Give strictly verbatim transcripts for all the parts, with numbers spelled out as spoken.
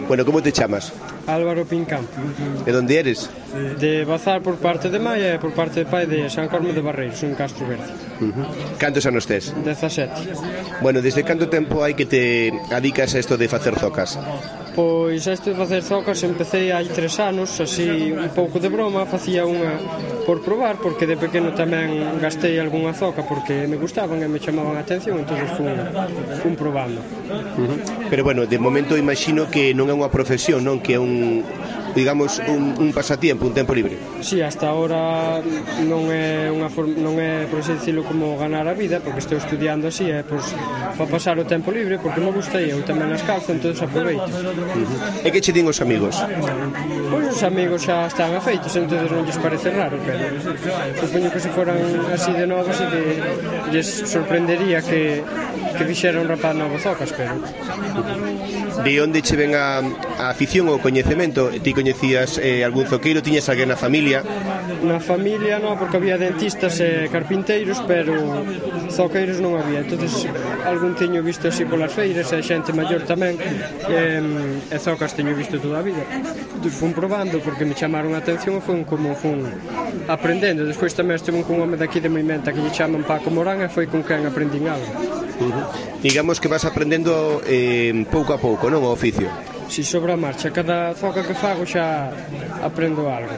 Bueno, como te chamas? Álvaro Pincampo. De onde eres? De Bazar por parte de Maia e por parte de pai de San Corme de Barreiros, en Castro Verde. Uh-huh. Cantos anos tes? dezasete. Bueno, desde canto tempo hai que te adicas a isto de facer zocas? Pois isto de facer zocas empecé hai tres anos, así un pouco de broma, facía unha por probar, porque de pequeno tamén gastei algunha zoca porque me gustaban e me chamaban a atención, entón fun, fun probando. Uh-huh. Pero bueno, de momento imagino que non é unha profesión, non? Que é un, digamos, un, un pasatiempo, un tempo libre. Si, sí, hasta ahora non é unha forma, non é, por así dicilo, como ganar a vida, porque estou estudiando así, é pois, para pasar o tempo libre, porque me gusta e eu tamén as calzo, entón aproveito. Uh-huh. E que che din os amigos? Pois os amigos xa están afeitos, entón non lles parece raro, pero supoño que se foran así de novos e que lles sorprendería que, que fixera un rapaz novo zocas, pero... De onde che ven a, a afición ou coñecemento? Ti coñecías eh, algún zoqueiro? Tiñas alguén na familia? Na familia non, porque había dentistas e carpinteiros, pero zoqueiros non había. Entonces algún teño visto así polas feiras e xente maior tamén, e, e zocas teño visto toda a vida. Entón fun probando porque me chamaron a atención e fun como fun aprendendo. Despois tamén estive con un home daqui de Moimenta que lle chaman Paco Morán e foi con quen aprendín algo. Uh-huh. Digamos que vas aprendendo eh, pouco a pouco, non, o oficio? Si, sobre a marcha, cada zoca que fago xa aprendo algo.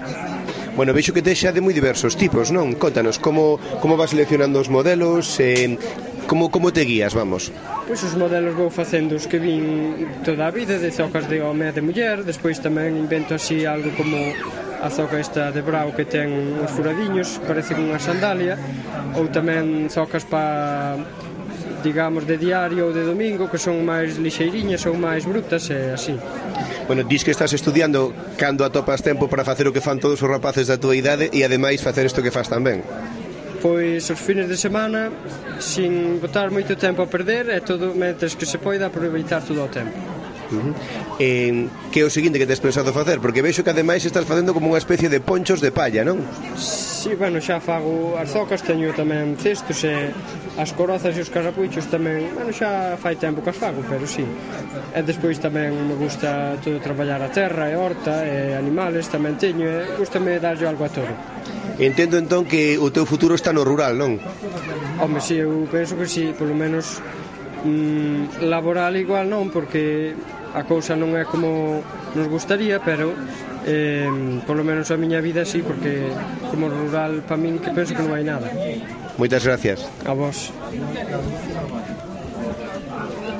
Bueno, vexo que te xa de moi diversos tipos, non? Contanos, como, como vas seleccionando os modelos, eh, como, como te guías, vamos? Pois os modelos vou facendo os que vin toda a vida, de zocas de home e de muller, despois tamén invento así algo como a zoca esta de brao que ten uns furadiños, parece unha sandalia, ou tamén zocas pa... digamos, de diario ou de domingo, que son máis lixeiriñas ou máis brutas e así. Bueno, dis que estás estudiando cando atopas tempo para facer o que fan todos os rapaces da tua idade e ademais facer isto que faz tamén. Pois os fines de semana, sin botar moito tempo a perder, e todo, mentres que se poida, aproveitar todo o tempo. Uh-huh. eh, que é o seguinte que tes pensado facer? Porque vexo que ademais estás facendo como unha especie de ponchos de palla, non? Si, bueno, xa fago as zocas, teño tamén cestos e as corozas e os carrapuchos tamén, bueno, xa fai tempo que as fago, pero si. E despois tamén me gusta todo traballar a terra e horta e animales tamén teño e gustame darlle algo a todo. Entendo entón que o teu futuro está no rural, non? Home, si, eu penso que si, polo menos mm, laboral igual non, porque a cousa non é como nos gustaría, pero eh, polo menos a miña vida sí, porque como rural para min que penso que non hai nada. Moitas gracias. A vos.